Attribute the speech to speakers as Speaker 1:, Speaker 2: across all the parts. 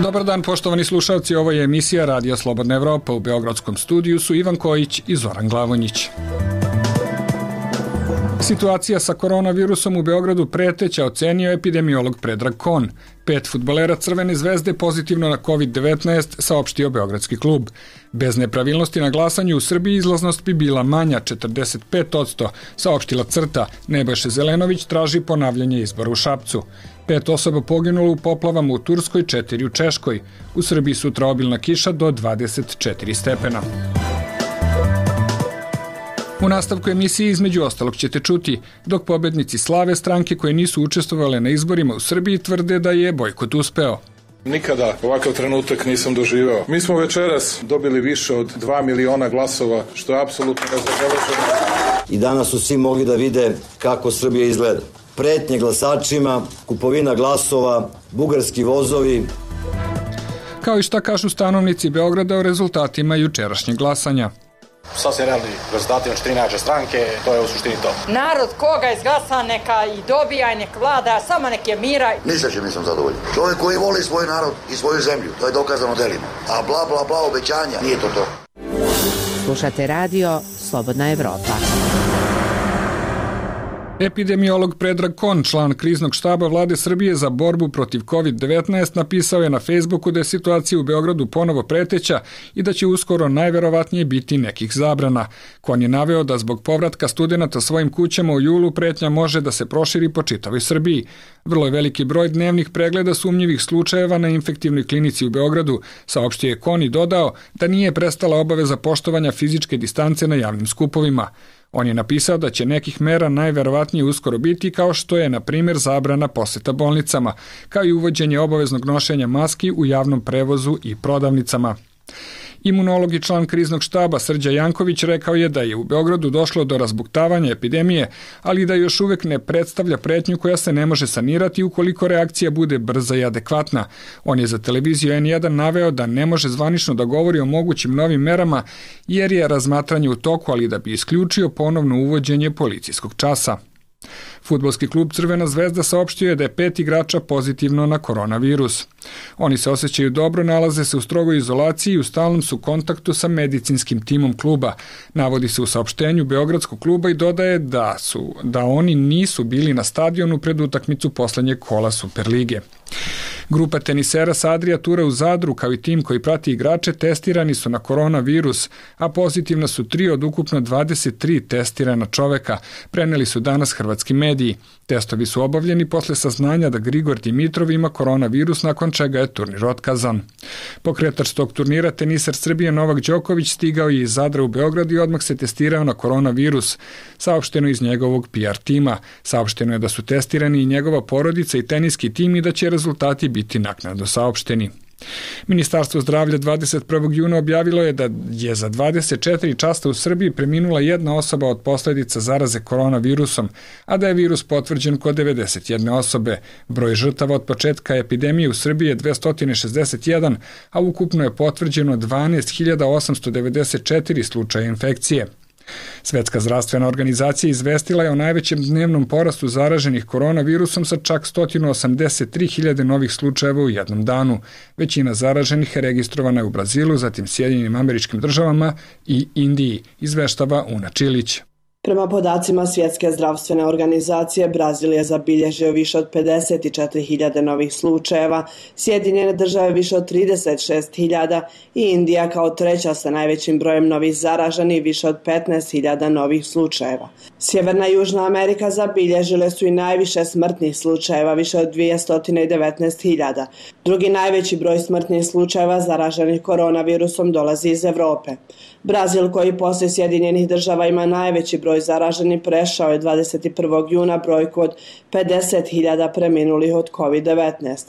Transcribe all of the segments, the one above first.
Speaker 1: Dobar dan, poštovani slušalci, ovo je emisija Radija Slobodna Evropa. U beogradskom studiju su Ivan Kojić i Zoran Glavonjić. Situacija sa koronavirusom u Beogradu preteća, ocenio epidemiolog Predrag Kon. 5 fudbalera Crvene zvezde pozitivno na COVID-19, saopštio beogradski klub. Bez nepravilnosti na glasanju u Srbiji izlaznost bi bila manja, 45%, saopštila CRTA. Nebojša Zelenović traži ponavljanje izbora u Šapcu. 5 osoba poginulo u poplavama u Turskoj, 4 u Češkoj. U Srbiji sutra obilna kiša do 24 stepena. U nastavku emisije između ostalog ćete čuti, dok pobednici slave stranke koje nisu učestvovale na izborima u Srbiji tvrde da je bojkot uspeo.
Speaker 2: Nikada ovakav trenutak nisam doživeo. Mi smo večeras dobili više od 2 miliona glasova, što je apsolutno nezabeleženo.
Speaker 3: I danas su svi mogli da vide kako Srbija izgleda. Pretnje glasačima, kupovina glasova, bugarski vozovi.
Speaker 1: Kao i šta kažu stanovnici Beograda o rezultatima jučerašnjeg glasanja.
Speaker 4: Sasvim realni rezultati, znači 3 najjače stranke, to je u suštini to.
Speaker 5: Narod koga izglasa neka i dobija i nek vlada, samo nek je mira.
Speaker 6: Ni sa čim nisam zadovoljan. Čovjek koji voli svoj narod i svoju zemlju, to je dokazano delima. A bla bla bla obećanja, nije to to.
Speaker 7: Slušate radio Slobodna Evropa.
Speaker 1: Epidemiolog Predrag Kon, član kriznog štaba vlade Srbije za borbu protiv COVID-19, napisao je na Facebooku da je situacija u Beogradu ponovo preteća i da će uskoro najverovatnije biti nekih zabrana. Kon je naveo da zbog povratka studenata svojim kućama u julu pretnja može da se proširi po čitavoj Srbiji. Vrlo je veliki broj dnevnih pregleda sumnjivih slučajeva na infektivnoj klinici u Beogradu, saopštio je Kon i dodao da nije prestala obaveza poštovanja fizičke distance na javnim skupovima. On je napisao da će nekih mera najverovatnije uskoro biti, kao što je, na primjer, zabrana poseta bolnicama, kao i uvođenje obaveznog nošenja maski u javnom prevozu i prodavnicama. Imunolog i član kriznog štaba Srđa Janković rekao je da je u Beogradu došlo do razbuktavanja epidemije, ali da još uvek ne predstavlja pretnju koja se ne može sanirati ukoliko reakcija bude brza i adekvatna. On je za televiziju N1 naveo da ne može zvanično da govori o mogućim novim merama jer je razmatranje u toku, ali da bi isključio ponovno uvođenje policijskog časa. Fudbalski klub Crvena zvezda saopštio je da je 5 igrača pozitivno na koronavirus. Oni se osjećaju dobro, nalaze se u strogoj izolaciji i u stalnom su kontaktu sa medicinskim timom kluba. Navodi se u saopštenju beogradskog kluba i dodaje da oni nisu bili na stadionu pred utakmicu poslednjeg kola Superlige. Grupa tenisera sa Adria Tura u Zadru, kao i tim koji prati igrače, testirani su na koronavirus, a pozitivna su 3 od ukupno 23 testirana čoveka, preneli su danas hrvatski mediji. Testovi su obavljeni posle saznanja da Grigor Dimitrov ima koronavirus, nakon čega je turnir otkazan. Pokretač tog turnira, teniser Srbije Novak Đoković, stigao je iz Zadra u Beograd i odmah se testirao na koronavirus, saopšteno iz njegovog PR tima. Saopšteno je da su testirani i njegova porodica i teniski tim i da će rezultati biti naknadno saopšteni. Ministarstvo zdravlja 21. juna objavilo je da je za 24 časa u Srbiji preminula jedna osoba od posledica zaraze koronavirusom, a da je virus potvrđen kod 91 osobe. Broj žrtava od početka epidemije u Srbiji je 261, a ukupno je potvrđeno 12.894 slučaja infekcije. Svetska zdravstvena organizacija izvestila je o najvećem dnevnom porastu zaraženih koronavirusom sa čak 183.000 novih slučajeva u jednom danu. Većina zaraženih je registrovana u Brazilu, zatim Sjedinjenim Američkim Državama i Indiji, izveštava Una Čilić.
Speaker 8: Prema podacima Svjetske zdravstvene organizacije, Brazil je zabilježio više od 54.000 novih slučajeva, Sjedinjene Države više od 36.000 i Indija kao treća sa najvećim brojem novih zaraženih više od 15.000 novih slučajeva. Sjeverna i Južna Amerika zabilježile su i najviše smrtnih slučajeva, više od 219.000. Drugi najveći broj smrtnih slučajeva zaraženih koronavirusom dolazi iz Evrope. Brazil, koji poslije Sjedinjenih Država ima najveći broj zaraženih, prešao je 21. juna brojku od 50.000 preminulih od COVID-19.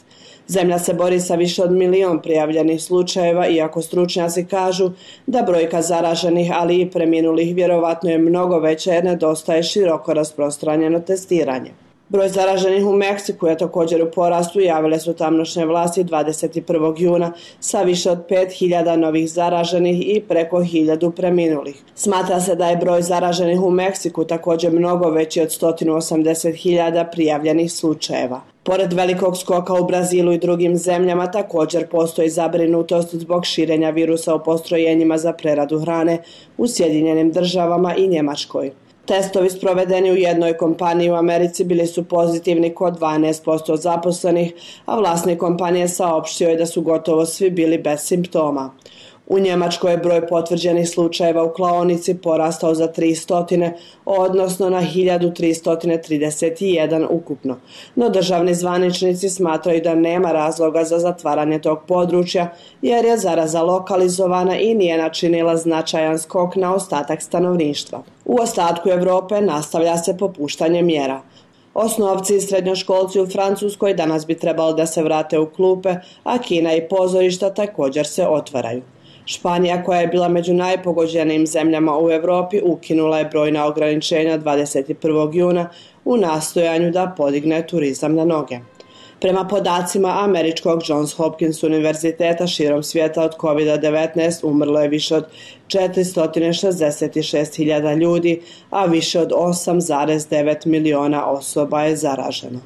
Speaker 8: Zemlja se bori sa više od 1 milion prijavljenih slučajeva, iako stručnjaci kažu da brojka zaraženih, ali i preminulih vjerovatno je mnogo veća jer nedostaje široko rasprostranjeno testiranje. Broj zaraženih u Meksiku je također u porastu, javile su tamošnje vlasti 21. juna sa više od 5.000 novih zaraženih i preko 1.000 preminulih. Smatra se da je broj zaraženih u Meksiku također mnogo veći od 180.000 prijavljenih slučajeva. Pored velikog skoka u Brazilu i drugim zemljama također postoji zabrinutost zbog širenja virusa u postrojenjima za preradu hrane u Sjedinjenim Državama i Njemačkoj. Testovi sprovedeni u jednoj kompaniji u Americi bili su pozitivni kod 12% zaposlenih, a vlasnik kompanije saopštio je da su gotovo svi bili bez simptoma. U Njemačkoj je broj potvrđenih slučajeva u klaonici porastao za 300, odnosno na 1331 ukupno. No državni zvaničnici smatraju da nema razloga za zatvaranje tog područja, jer je zaraza lokalizovana i nije načinila značajan skok na ostatak stanovništva. U ostatku Europe nastavlja se popuštanje mjera. Osnovci i srednjoškolci u Francuskoj danas bi trebalo da se vrate u klupe, a kina i pozorišta također se otvaraju. Španija, koja je bila među najpogođenijim zemljama u Europi, ukinula je brojna ograničenja 21. juna u nastojanju da podigne turizam na noge. Prema podacima američkog Johns Hopkins univerziteta, širom svijeta od COVID-19 umrlo je više od 466.000 ljudi, a više od 8,9 miliona osoba je zaraženo.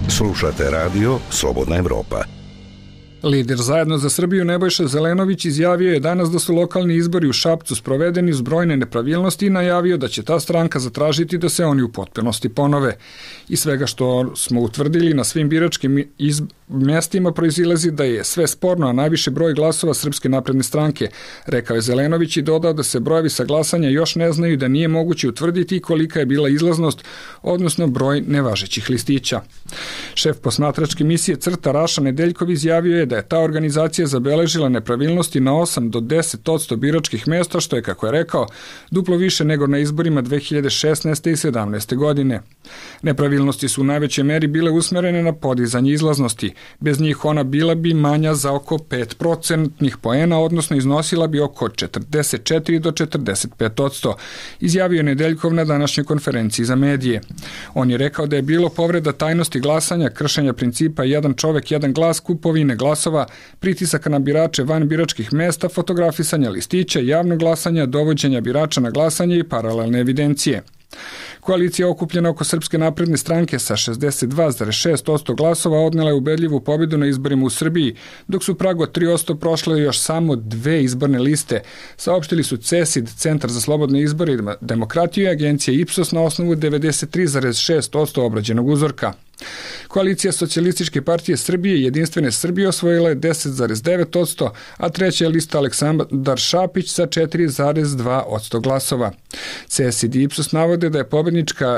Speaker 9: Slušate radio Slobodna Evropa.
Speaker 1: Lider Zajedno za Srbiju Nebojša Zelenović izjavio je danas da su lokalni izbori u Šapcu sprovedeni uz brojne nepravilnosti i najavio da će ta stranka zatražiti da se oni u potpunosti ponove. I svega što smo utvrdili na svim biračkim mjestima proizilazi da je sve sporno, a najviše broj glasova Srpske napredne stranke, rekao je Zelenović i dodao da se brojevi sa glasanja još ne znaju, da nije moguće utvrditi kolika je bila izlaznost, odnosno broj nevažećih listića. Šef posmatračke misije CRTA Raša Nedeljkov izjavio je da je ta organizacija zabeležila nepravilnosti na 8 do 10% biračkih mjesta, što je, kako je rekao, duplo više nego na izborima 2016. i 2017. godine. Nepravilnosti su u najvećoj meri bile usmjerene na podizanje izlaznosti. Bez njih ona bila bi manja za oko 5% poena, odnosno iznosila bi oko 44 do 45%, izjavio je Nedeljkov na današnjoj konferenciji za medije. On je rekao da je bilo povreda tajnosti glasanja, kršenja principa jedan čovek, jedan glas, kupovine glasova, pritisaka na birače van biračkih mesta, fotografisanja listića, javnog glasanja, dovođenja birača na glasanje i paralelne evidencije. Koalicija okupljena oko Srpske napredne stranke sa 62,6% glasova odnela je ubedljivu pobjedu na izborima u Srbiji, dok su prag od 3% prošle još samo dve izborne liste, saopštili su CESID, Centar za slobodne izbore i demokratiju, i agencija Ipsos na osnovu 93,6% obrađenog uzorka. Koalicija Socijalističke partije Srbije i Jedinstvene Srbije osvojila je 10,9%, a treća je lista Aleksandar Šapić sa 4,2% glasova. CESID i Ipsos navode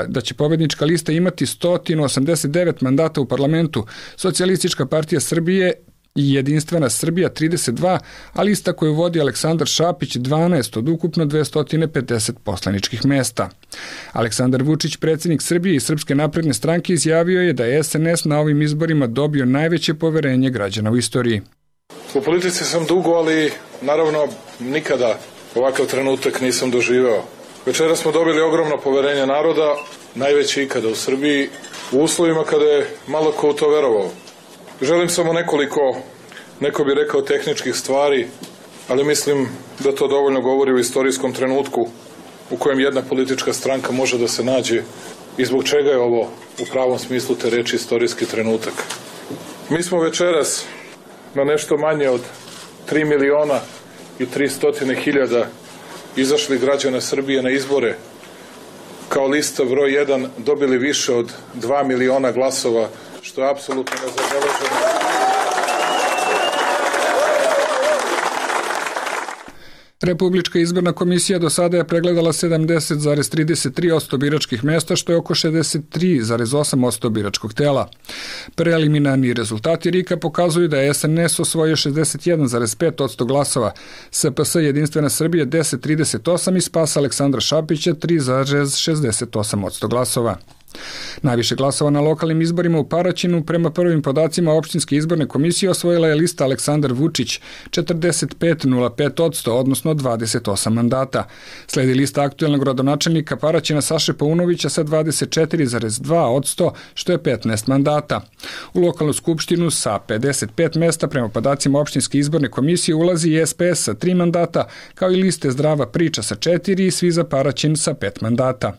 Speaker 1: da će pobednička lista imati 189 mandata u parlamentu, Socijalistička partija Srbije i Jedinstvena Srbija 32, a lista koju vodi Aleksandar Šapić 12 od ukupno 250 poslaničkih mesta. Aleksandar Vučić, predsjednik Srbije i Srpske napredne stranke, izjavio je da je SNS na ovim izborima dobio najveće poverenje građana u istoriji.
Speaker 2: U politici sam dugo, ali naravno nikada ovakav trenutak nisam doživeo. Večera smo dobili ogromno poverenje naroda, najveće ikada u Srbiji, u uslovima kada je malo ko u to verovao. Želim samo neko bi rekao tehničkih stvari, ali mislim da to dovoljno govori o istorijskom trenutku u kojem jedna politička stranka može da se nađe i zbog čega je ovo u pravom smislu te reči istorijski trenutak. Mi smo večeras na nešto manje od 3.300.000 izašli građana Srbije na izbore kao lista broj 1 dobili više od 2 miliona glasova, što je apsolutno nezabeleženo.
Speaker 1: Republička izborna komisija do sada je pregledala 70,33% biračkih mjesta, što je oko 63,8% biračkog tela. Preliminarni rezultati RIK-a pokazuju da je SNS osvojio 61,5% glasova, SPS Jedinstvena Srbija 10,38 i Spas Aleksandra Šapića 3,68% glasova. Najviše glasova na lokalnim izborima u Paraćinu prema prvim podacima opštinske izborne komisije osvojila je lista Aleksandar Vučić 45,05%, odnosno 28 mandata. Sledi lista aktuelnog gradonačelnika Paraćina Saše Paunovića sa 24,2%, što je 15 mandata. U lokalnu skupštinu sa 55 mesta prema podacima opštinske izborne komisije ulazi i SPS sa 3 mandata, kao i liste Zdrava priča sa 4 i Svi za Paraćin sa 5 mandata.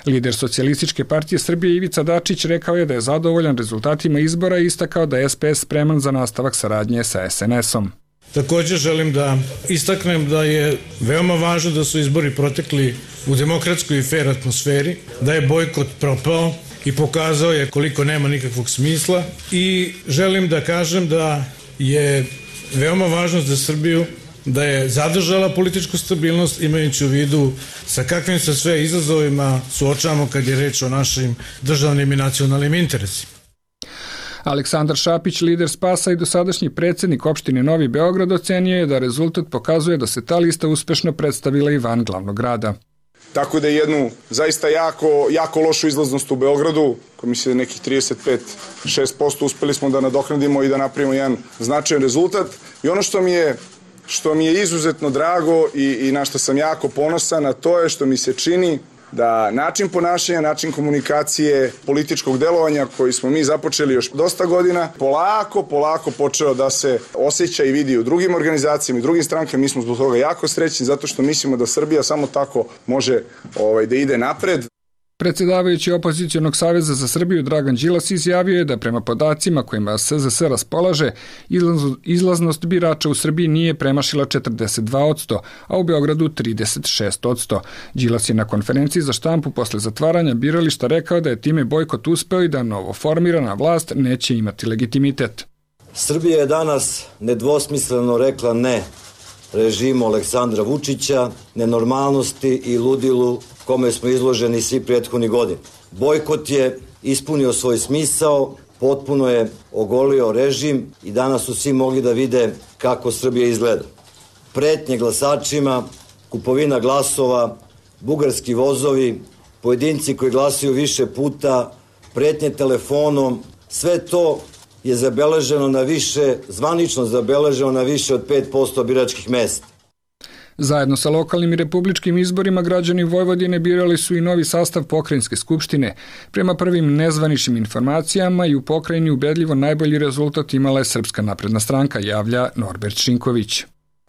Speaker 1: Lider Socijalističke partije Srbije Ivica Dačić rekao je da je zadovoljan rezultatima izbora i istakao da je SPS spreman za nastavak saradnje sa SNS-om.
Speaker 10: Također želim da istaknem da je veoma važno da su izbori protekli u demokratskoj i fer atmosferi, da je bojkot propao i pokazao je koliko nema nikakvog smisla, i želim da kažem da je veoma važno za Srbiju da je zadržala političku stabilnost, imajući u vidu sa kakvim se sve izazovima suočavamo kad je reč o našim državnim i nacionalnim interesima.
Speaker 1: Aleksandar Šapić, lider SPAS-a i dosadašnji predsjednik opštine Novi Beograd, ocenio je da rezultat pokazuje da se ta lista uspešno predstavila i van glavnog grada.
Speaker 11: Tako da je jednu zaista jako lošu izlaznost u Beogradu, koja misle da nekih 35-6%, uspeli smo da nadoknadimo i da napravimo jedan značajan rezultat. I ono što mi je izuzetno drago i na što sam jako ponosan, a to je što mi se čini da način ponašanja, način komunikacije, političkog delovanja koji smo mi započeli još dosta godina, polako počeo da se osjeća i vidi u drugim organizacijama i drugim strankama. Mi smo zbog toga jako srećni zato što mislimo da Srbija samo tako može da ide napred.
Speaker 1: Predsjedavajući Opozicionog saveza za Srbiju Dragan Đilas izjavio je da prema podacima kojima SZS raspolaže, izlaznost birača u Srbiji nije premašila 42%, a u Beogradu 36%. Đilas je na konferenciji za štampu posle zatvaranja birališta rekao da je time bojkot uspeo i da novoformirana vlast neće imati legitimitet.
Speaker 3: Srbija je danas nedvosmisleno rekla ne režimu Aleksandra Vučića, nenormalnosti i ludilu kome smo izloženi svi prethodnih godina. Bojkot je ispunio svoj smisao, potpuno je ogolio režim i danas su svi mogli da vide kako Srbija izgleda. Pretnje glasačima, kupovina glasova, bugarski vozovi, pojedinci koji glasaju više puta, pretnje telefonom, sve to je zabeleženo na više, zvanično zabeleženo na više od 5% biračkih mesta.
Speaker 1: Zajedno sa lokalnim i republičkim izborima građani Vojvodine birali su i novi sastav pokrajinske skupštine. Prema prvim nezvaničnim informacijama i u pokrajini ubedljivo najbolji rezultat imala je Srpska napredna stranka, javlja Norbert Šinković.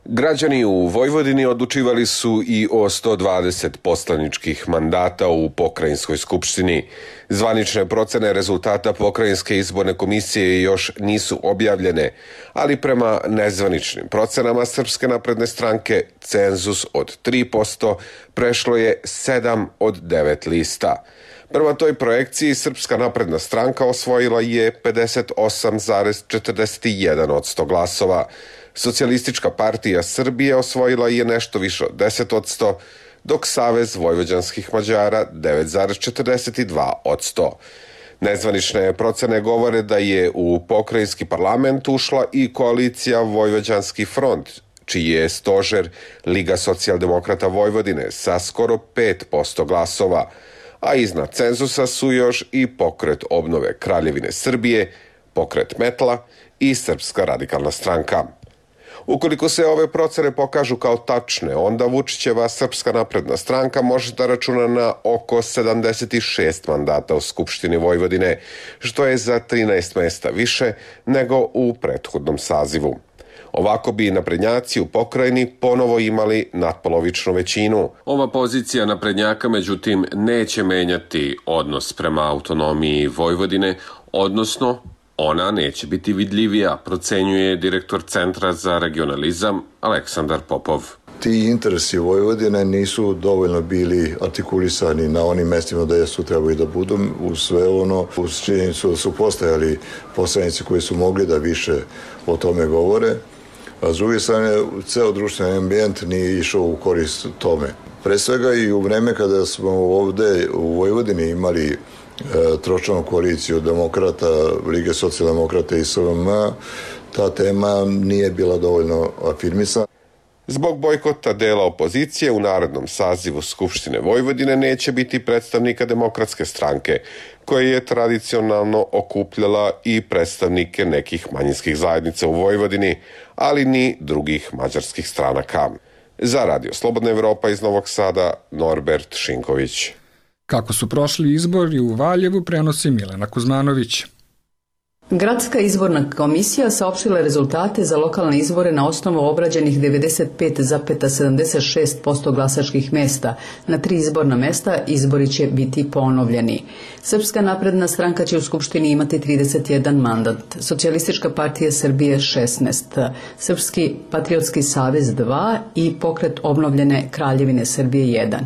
Speaker 12: Građani u Vojvodini odlučivali su i o 120 poslaničkih mandata u pokrajinskoj skupštini. Zvanične procene rezultata pokrajinske izborne komisije još nisu objavljene, ali prema nezvaničnim procenama Srpske napredne stranke cenzus od 3% prešlo je 7 od 9 lista. Prema toj projekciji Srpska napredna stranka osvojila je 58,41% glasova. Socijalistička partija Srbije osvojila je nešto više od 10%, dok Savez vojvođanskih Mađara 9,42%. Nezvanične procene govore da je u pokrajinski parlament ušla i koalicija Vojvođanski front, čiji je stožer Liga socijaldemokrata Vojvodine sa skoro 5% glasova, a iznad cenzusa su još i Pokret obnove Kraljevine Srbije, Pokret Metla i Srpska radikalna stranka. Ukoliko se ove procene pokažu kao tačne, onda Vučićeva Srpska napredna stranka može da računa na oko 76 mandata u Skupštini Vojvodine, što je za 13 mesta više nego u prethodnom sazivu. Ovako bi naprednjaci u pokrajini ponovo imali natpolovičnu većinu. Ova pozicija naprednjaka, međutim, neće menjati odnos prema autonomiji Vojvodine, odnosno ona neće biti vidljivija, procenjuje direktor Centra za regionalizam Aleksandar Popov.
Speaker 13: Ti interesi Vojvodine nisu dovoljno bili artikulisani na onim mestima da su trebali da budu, uz sve ono, uz činjenicu da su postojali poslanici koji su mogli da više o tome govore, a s druge strane, ceo društveni ambijent nije išao u korist tome. Pre svega i u vreme kada smo ovde u Vojvodini imali tročlanu koaliciju demokrata, Lige socijaldemokrata i SVM, ta tema nije bila dovoljno afirmisana.
Speaker 12: Zbog bojkota dela opozicije u narednom sazivu Skupštine Vojvodine neće biti predstavnika Demokratske stranke, koja je tradicionalno okupljala i predstavnike nekih manjinskih zajednica u Vojvodini, ali ni drugih mađarskih stranaka. Za Radio Slobodna Evropa iz Novog Sada, Norbert Šinković.
Speaker 1: Kako su prošli izbori u Valjevu, prenosi Milena Kuzmanović.
Speaker 14: Gradska izborna komisija saopštila rezultate za lokalne izbore na osnovu obrađenih 95,76% glasačkih mesta. Na 3 izborna mesta izbori će biti ponovljeni. Srpska napredna stranka će u Skupštini imati 31 mandat, Socijalistička partija Srbije 16, Srpski patriotski savez 2 i Pokret obnovljene Kraljevine Srbije 1.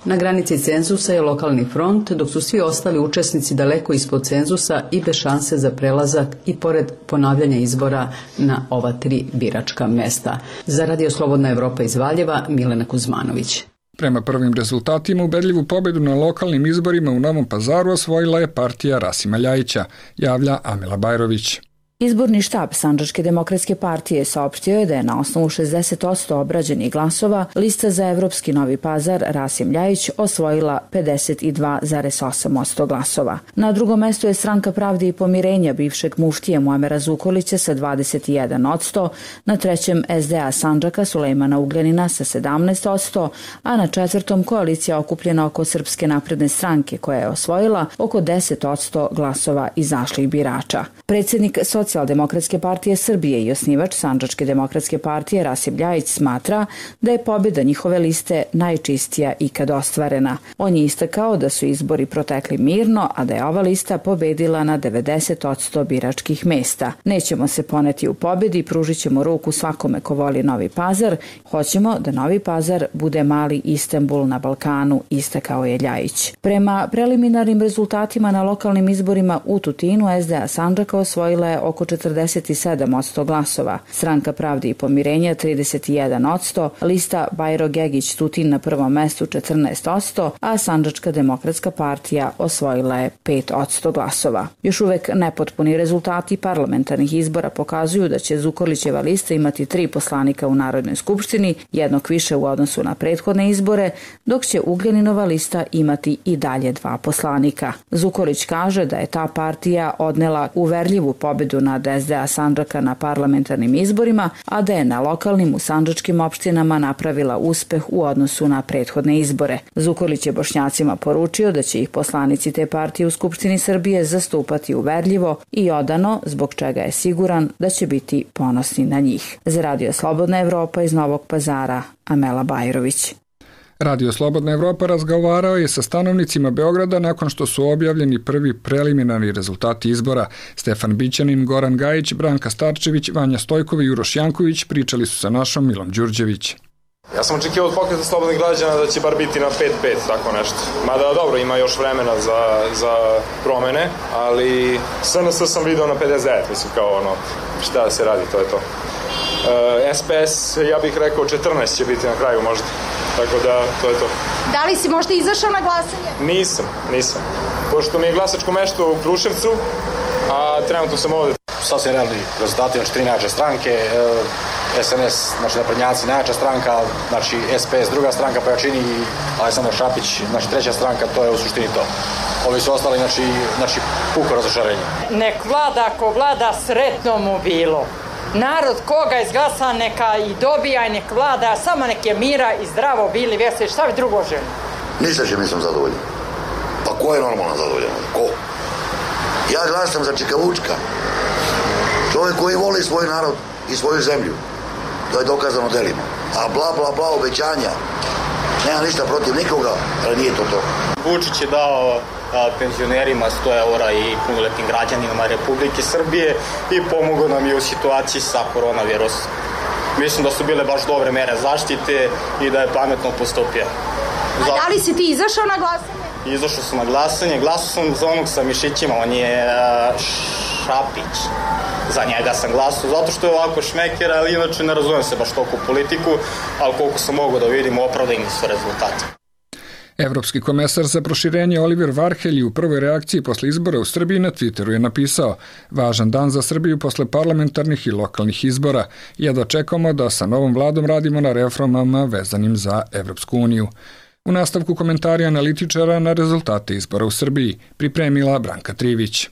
Speaker 14: Na granici cenzusa je lokalni front, dok su svi ostali učesnici daleko ispod cenzusa i bez šanse za prelazak i pored ponavljanja izbora na ova 3 biračka mesta. Za Radio Slobodna Evropa iz Valjeva, Milena Kuzmanović.
Speaker 1: Prema prvim rezultatima, ubedljivu pobedu na lokalnim izborima u Novom Pazaru osvojila je partija Rasima Ljajića, javlja Amela Bajrović.
Speaker 15: Izborni štab Sandžačke demokratske partije saopštio je da je na osnovu 60% obrađenih glasova lista za Evropski Novi Pazar Rasim Ljajić osvojila 52,8% glasova. Na drugom mestu je Stranka pravde i pomirenja bivšeg muftije Muamera Zukorlića sa 21%, na trećem SDA Sandžaka Sulejmana Ugljanina sa 17%, a na četvrtom koalicija okupljena oko Srpske napredne stranke koja je osvojila oko 10% glasova izašlih birača. Predsjednik Socijaldemokratske partije Srbije i osnivač Sandžačke demokratske partije Rasim Ljajić smatra da je pobjeda njihove liste najčistija ikad ostvarena. On je istakao da su izbori protekli mirno, a da je ova lista pobedila na 90% biračkih mesta. Nećemo se poneti u pobjedi, pružit ćemo ruku svakome ko voli Novi Pazar. Hoćemo da Novi Pazar bude mali Istanbul na Balkanu, istakao je Ljajić. Prema preliminarnim rezultatima na lokalnim izborima u Tutinu, SDA Sandžaka osvojila je oko 47% glasova, Stranka pravde i pomirenja 31%, lista Bajro Gegić Tutin na prvom mestu 14%, a Sandžačka demokratska partija osvojila je 5% glasova. Još uvek nepotpuni rezultati parlamentarnih izbora pokazuju da će Zukorlićeva lista imati 3 poslanika u Narodnoj skupštini, jednog više u odnosu na prethodne izbore, dok će Ugljaninova lista imati i dalje 2 poslanika. Zukorlić kaže da je ta partija odnela uverljivu pobedu nad SDA Sandžaka na parlamentarnim izborima, a da je na lokalnim u sandžačkim opštinama napravila uspeh u odnosu na prethodne izbore. Zukorlić je Bošnjacima poručio da će ih poslanici te partije u Skupštini Srbije zastupati uverljivo i odano, zbog čega je siguran da će biti ponosni na njih. Za Radio Slobodna Evropa iz Novog Pazara, Amela Bajrović.
Speaker 1: Radio Slobodna Evropa razgovarao je sa stanovnicima Beograda nakon što su objavljeni prvi preliminarni rezultati izbora. Stefan Bićanin, Goran Gajić, Branka Starčević, Vanja Stojkova i Uroš Janković pričali su sa našom Milom Đurđević.
Speaker 16: Ja sam očekivao od Pokreta slobodnih građana da će bar biti na 5-5, tako nešto. Mada dobro, ima još vremena za promene, ali SNS sam video na 59, mislim kao ono, šta da se radi, to je to. SPS, ja bih rekao 14 će biti na kraju možda, tako da to je to.
Speaker 17: Da li si možda izašao na glasanje?
Speaker 16: Nisam. Pošto mi je glasačko mesto u Kruševcu, a trenutno sam ovde.
Speaker 4: Sad se realni rezultati, znači 3 najjače stranke, SNS, znači naprednjaci najjača stranka, znači SPS druga stranka po jačini i Aleksandar Šapić, znači 3. stranka, to je u suštini to. Ovi su ostali, znači puko razočarenje.
Speaker 5: Nek vlada ko vlada, sretno mu bilo. Narod koga izglasa neka i dobija i nek vlada, samo nek je mira i zdravo bili veseli, šta bi drugo želi?
Speaker 6: Ništa će nisam zadovoljan. Pa ko je normalno zadovoljan? Ko? Ja glasam za Čikavučka. Čovjek koji voli svoj narod i svoju zemlju. To je dokazano delima. A bla bla bla obećanja. Nema ništa protiv nikoga, ali nije to to.
Speaker 18: Vučić je dao penzionerima 100 eura i punoletnim građanima Republike Srbije i pomogao nam je u situaciji sa koronavirusom. Mislim da su bile baš dobre mere zaštite i da je pametno postupio.
Speaker 17: A da li si ti izašao na glasanje?
Speaker 18: Izašao sam na glasanje, glasao sam za onog sa mišićima, on je Šapić. Za njega sam glasao, zato što je ovako šmeker, ali inače ne razumem se baš toliko u politiku, ali koliko sam mogao da vidim, opravdani su rezultati.
Speaker 1: Evropski komesar za proširenje Oliver Varhelj u prvoj reakciji posle izbora u Srbiji na Twitteru je napisao: važan dan za Srbiju posle parlamentarnih i lokalnih izbora. Jedva čekamo da sa novom vladom radimo na reformama vezanim za Evropsku uniju. U nastavku komentari analitičara na rezultate izbora u Srbiji pripremila Branka Trivić.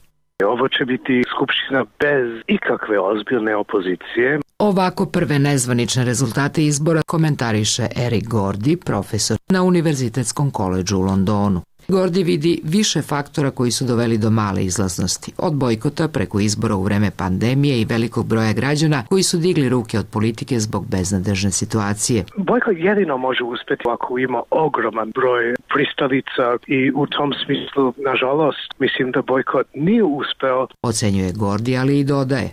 Speaker 19: Ovo će biti skupština bez ikakve ozbiljne opozicije.
Speaker 20: Ovako prve nezvanične rezultate izbora komentariše Eric Gordy, profesor na Univerzitetskom koledžu u Londonu. Gordy vidi više faktora koji su doveli do male izlaznosti, od bojkota preko izbora u vreme pandemije i velikog broja građana koji su digli ruke od politike zbog beznadežne situacije.
Speaker 19: Bojkot jedino može uspjeti ako ima ogroman broj pristalica i u tom smislu, nažalost, mislim da bojkot nije uspeo.
Speaker 20: Ocenjuje Gordy, ali i dodaje: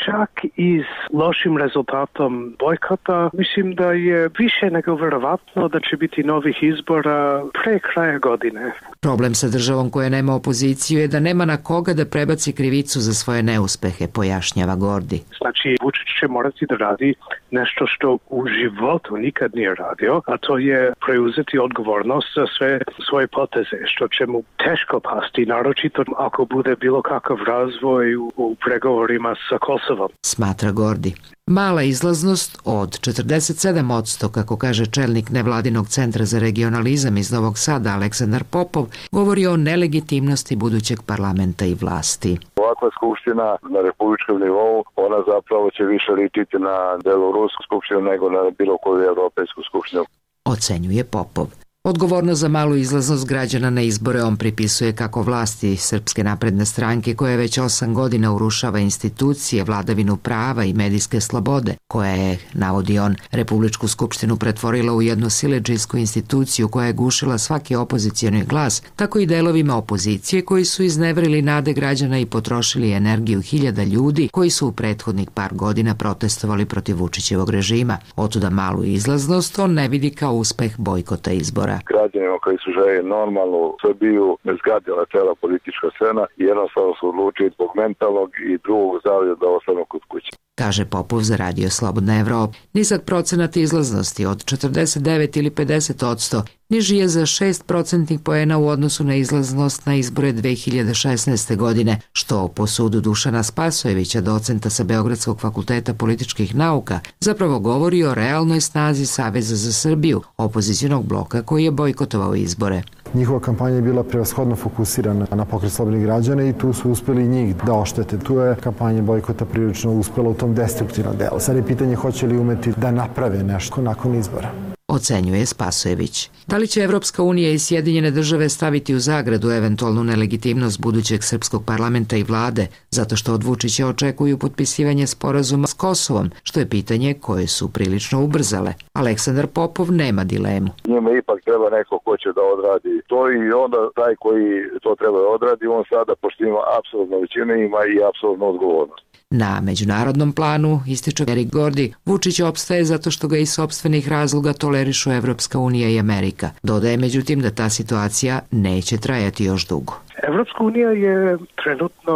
Speaker 19: čak i s lošim rezultatom bojkota, mislim da je više nego verovatno da će biti novih izbora pre kraja godine.
Speaker 20: Problem sa državom koja nema opoziciju je da nema na koga da prebaci krivicu za svoje neuspehe, pojašnjava Gordy.
Speaker 19: Znači, Vučić će morati da radi nešto što u životu nikad nije radio, a to je preuzeti odgovornost za sve svoje poteze, što će mu teško pasti, naročito ako bude bilo kakav razvoj u pregovorima sa Kosovom.
Speaker 20: Smatra Gordy. Mala izlaznost od 47%, kako kaže čelnik nevladinog centra za regionalizam iz Novog Sada Aleksandar Popov, govori o nelegitimnosti budućeg parlamenta i vlasti.
Speaker 21: Ovakva skupština na republičkom nivou, ona zapravo će više ličiti na belorusku skupštinu nego na bilo koju evropejsku skupštinu.
Speaker 20: Ocenjuje Popov. Odgovorno za malu izlaznost građana na izbore on pripisuje kako vlasti Srpske napredne stranke, koja već 8 godina urušava institucije, vladavinu prava i medijske slobode, koja je, navodi on, Republičku skupštinu pretvorila u jednu siledžijsku instituciju koja je gušila svaki opozicioni glas, tako i delovima opozicije koji su izneverili nade građana i potrošili energiju hiljada ljudi koji su u prethodnih par godina protestovali protiv Vučićevog režima. Otuda malu izlaznost on ne vidi kao uspeh bojkota izbora.
Speaker 21: Građanima koji su želi normalnu Srbiju ne zgadila cela politička scena i jednostavno su odlučili zbog mentalnog i drugog zdravlja da ostanu kod kuće.
Speaker 20: Kaže Popov za Radio Slobodna Evropa. Nizak procenat izlaznosti od 49 ili 50% niži je za 6% poena u odnosu na izlaznost na izbore 2016. godine, što po sudu Dušana Spasojevića, docenta sa Beogradskog fakulteta političkih nauka, zapravo govori o realnoj snazi Saveza za Srbiju, opozicionog bloka koji je bojkotovao izbore.
Speaker 22: Njihova kampanja je bila prevashodno fokusirana na pokret slobodnih građana i tu su uspeli njih da oštete. Tu je kampanja bojkota prilično uspela u tom destruktivnom delu. Sad je pitanje hoće li umeti da naprave nešto nakon izbora.
Speaker 20: Ocenjuje Spasojević. Da li će Evropska unija i Sjedinjene države staviti u zagradu eventualnu nelegitimnost budućeg srpskog parlamenta i vlade, zato što od Vučića očekuju potpisivanje sporazuma s Kosovom, što je pitanje koje su prilično ubrzale. Aleksandar Popov nema dilemu.
Speaker 21: Njima ipak treba neko ko će da odradi to i onda taj koji to treba da odradi, on sada, pošto ima apsolutno većinu, ima i apsolutno odgovornost.
Speaker 20: Na međunarodnom planu, ističe Eric Gordy, Vučić opstaje zato što ga iz sopstvenih razloga tolerišu Evropska unija i Amerika. Dodaje međutim da ta situacija neće trajati još dugo.
Speaker 19: Evropska unija je trenutno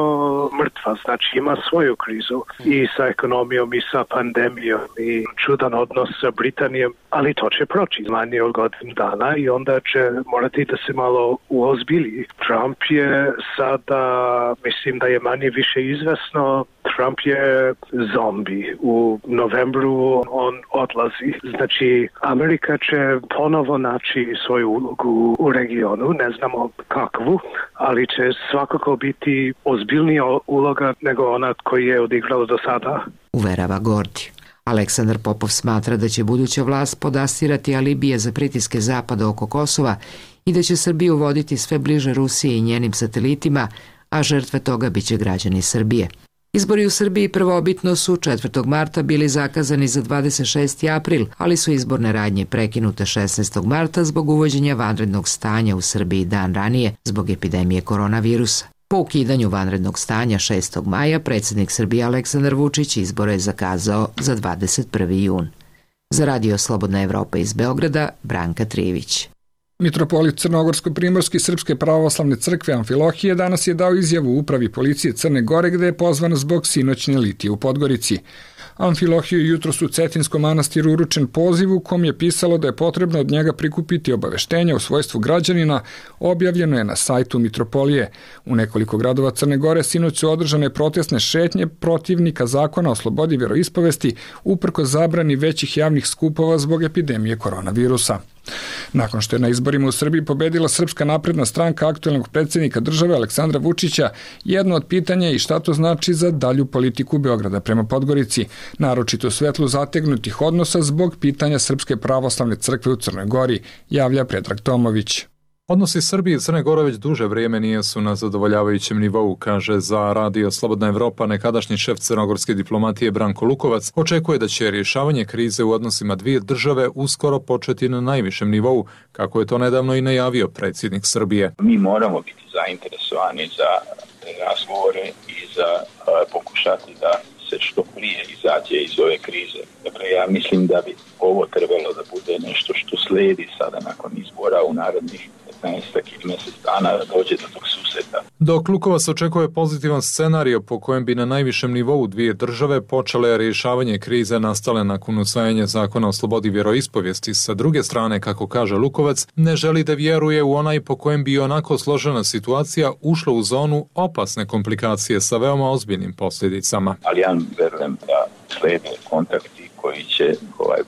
Speaker 19: mrtva, znači ima svoju krizu i sa ekonomijom i sa pandemijom i čudan odnos sa Britanijom, ali to će proći manje od godinu dana i onda će morati da se malo uozbilji. Trump je sada, mislim da je manje više izvesno, Trump je zombi. U novembru on odlazi. Znači, Amerika će ponovo naći svoju ulogu u regionu, ne znamo kakvu, ali će svakako biti ozbiljnija uloga nego ona koju je odigrala do sada.
Speaker 20: Uverava Gordy. Aleksandar Popov smatra da će buduća vlast podastirati alibije za pritiske Zapada oko Kosova i da će Srbiju voditi sve bliže Rusiji i njenim satelitima, a žrtve toga biće građani Srbije. Izbori u Srbiji prvobitno su 4. marta bili zakazani za 26. april, ali su izborne radnje prekinute 16. marta zbog uvođenja vanrednog stanja u Srbiji dan ranije zbog epidemije koronavirusa. Po ukidanju vanrednog stanja 6. maja predsjednik Srbije Aleksandar Vučić izbore je zakazao za 21. jun. Za Radio Slobodna Evropa iz Beograda, Branka Trivić.
Speaker 1: Mitropolit Crnogorsko-primorski Srpske pravoslavne crkve Amfilohije danas je dao izjavu upravi policije Crne Gore gde je pozvan zbog sinoćne litije u Podgorici. Amfilohiju je jutros u Cetinskom manastiru uručen poziv u kom je pisalo da je potrebno od njega prikupiti obaveštenja u svojstvu građanina, objavljeno je na sajtu Mitropolije. U nekoliko gradova Crne Gore sinoć su održane protestne šetnje protivnika zakona o slobodi vjeroispovesti uprkos zabrani većih javnih skupova zbog epidemije koronavirusa. Nakon što je na izborima u Srbiji pobedila Srpska napredna stranka aktuelnog predsjednika države Aleksandra Vučića, jedno od pitanja je i šta to znači za dalju politiku Beograda prema Podgorici, naročito u svetlu zategnutih odnosa zbog pitanja Srpske pravoslavne crkve u Crnoj Gori, javlja Predrag Tomović.
Speaker 7: Odnosi Srbije i Crne Gore već duže vrijeme nisu na zadovoljavajućem nivou, kaže za Radio Slobodna Evropa nekadašnji šef crnogorske diplomatije Branko Lukovac. Očekuje da će rješavanje krize u odnosima dvije države uskoro početi na najvišem nivou, kako je to nedavno i najavio predsjednik Srbije.
Speaker 8: Mi moramo biti zainteresovani za razgovore i za pokušati da se što prije izađe iz ove krize. Dakle, ja mislim da bi ovo trebalo da bude nešto što slijedi sada nakon izbora u narednih 15 ili mjesec dana da dođe do tog susreta.
Speaker 7: Dok Lukovac očekuje pozitivan scenario po kojem bi na najvišem nivou dvije države počele rješavanje krize nastale nakon usvajanja zakona o slobodi vjeroispovijesti, sa druge strane, kako kaže Lukovac, ne želi da vjeruje u onaj po kojem bi onako složena situacija ušla u zonu opasne komplikacije sa veoma ozbiljnim posljedicama.
Speaker 8: Ali ja verujem da slijede kontakti koji će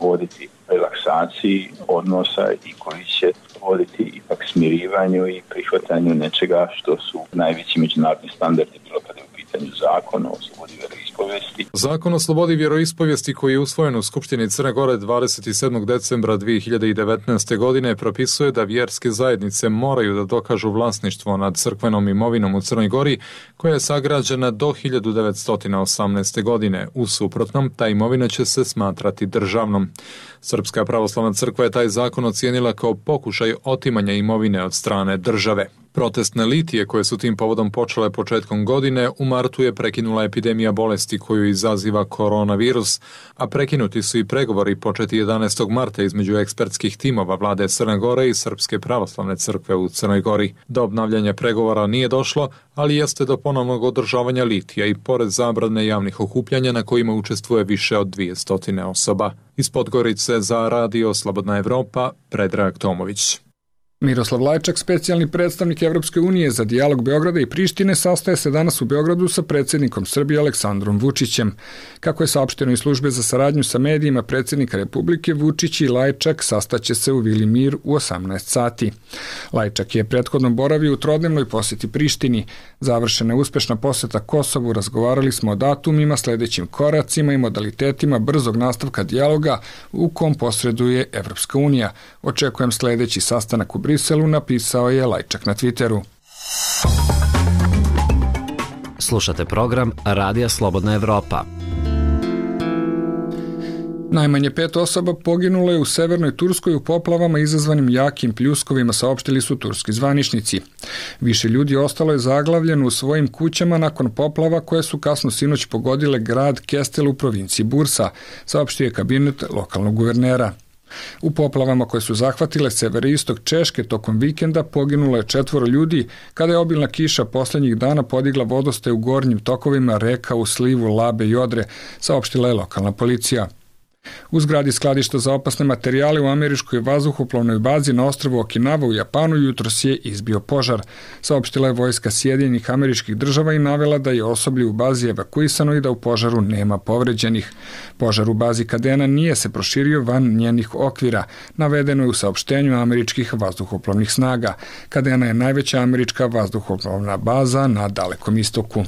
Speaker 8: voditi relaksaciji odnosa i koji će voditi ipak smirivanju i prihvatanju nečega što su najveći međunarodni standardi bilo kada je u pitanju zakona o slobodi vjeroispovijesti.
Speaker 7: Zakon o slobodi vjeroispovijesti koji je usvojen u Skupštini Crne Gore 27. decembra 2019. godine propisuje da vjerske zajednice moraju da dokažu vlasništvo nad crkvenom imovinom u Crnoj Gori koja je sagrađena do 1918. godine. U suprotnom, ta imovina će se smatrati državnom. Srpska pravoslavna crkva je taj zakon ocijenila kao pokušaj otimanja imovine od strane države. Protestne litije koje su tim povodom počele početkom godine u martu je prekinula epidemija bolesti koju izaziva koronavirus, a prekinuti su i pregovori početi 11. marta između ekspertskih timova vlade Crne Gore i Srpske pravoslavne crkve u Crnoj Gori. Do obnavljanja pregovora nije došlo, ali jeste do ponovnog održavanja litija i pored zabrane javnih okupljanja na kojima učestvuje više od 200 osoba. Iz Podgorice za Radio Slobodna Evropa, Predrag Tomović.
Speaker 1: Miroslav Lajčak, specijalni predstavnik Evropske unije za dijalog Beograda i Prištine, sastaje se danas u Beogradu sa predsjednikom Srbije Aleksandrom Vučićem. Kako je saopšteno iz službe za saradnju sa medijima predsjednika Republike, Vučić i Lajčak sastaće se u Vili Mir u 18 sati. Lajčak je prethodno boravio u trodnevnoj posjeti Prištini. Završena je uspešna posjeta Kosovu, razgovarali smo o datumima, sljedećim koracima i modalitetima brzog nastavka dijaloga u kom posreduje Evropska unija. Očekujem sljedeći sastanak u Briselu, napisao je Lajčak na Twitteru.
Speaker 23: Slušate program Radija Slobodna Evropa.
Speaker 1: Najmanje 5 osoba poginulo je u severnoj Turskoj u poplavama izazvanim jakim pljuskovima, saopštili su turski zvaničnici. Više ljudi ostalo je zaglavljeno u svojim kućama nakon poplava koje su kasno sinoć pogodile grad Kestel u provinciji Bursa, saopštio je kabinet lokalnog guvernera. U poplavama koje su zahvatile severoistok Češke tokom vikenda poginulo je 4 ljudi kada je obilna kiša posljednjih dana podigla vodostaje u gornjim tokovima reka u slivu Labe i Odre, saopštila je lokalna policija. U zgradi skladišta za opasne materijale u američkoj vazduhoplovnoj bazi na ostrvu Okinawa u Japanu jutros je izbio požar. Saopštila je vojska Sjedinjenih Američkih Država i navela da je osoblje u bazi evakuisano i da u požaru nema povređenih. Požar u bazi Kadena nije se proširio van njenih okvira, navedeno je u saopštenju američkih vazduhoplovnih snaga. Kadena je najveća američka vazduhoplovna baza na Dalekom istoku.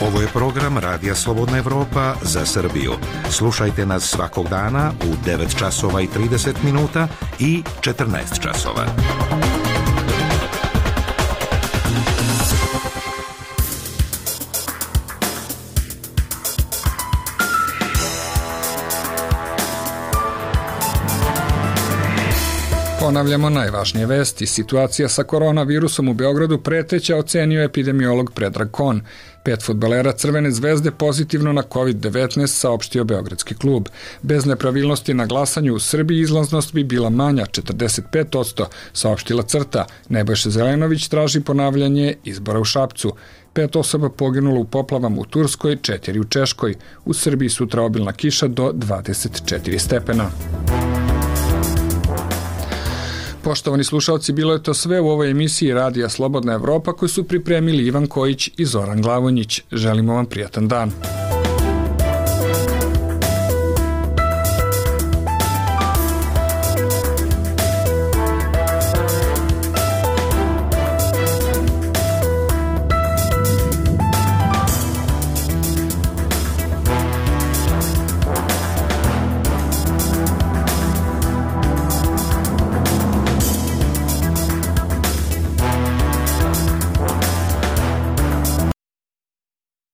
Speaker 9: Ovo je program Radija Slobodna Evropa za Srbiju. Slušajte nas svakog dana u 9 časova i 30 minuta i 14 časova.
Speaker 1: Ponavljamo najvažnije vesti. Situacija sa koronavirusom u Beogradu preteća, ocenio epidemiolog Predrag Kon. 5 fudbalera Crvene zvezde pozitivno na COVID-19, saopštio Beogradski klub. Bez nepravilnosti na glasanju u Srbiji izlaznost bi bila manja, 45%, saopštila CRTA. Nebojša Zelenović traži ponavljanje izbora u Šapcu. 5 osoba poginulo u poplavama u Turskoj, 4 u Češkoj. U Srbiji sutra obilna kiša do 24 stepena. Poštovani slušalci, bilo je to sve u ovoj emisiji Radija Slobodna Evropa koju su pripremili Ivan Kojić i Zoran Glavonjić. Želimo vam prijatan dan.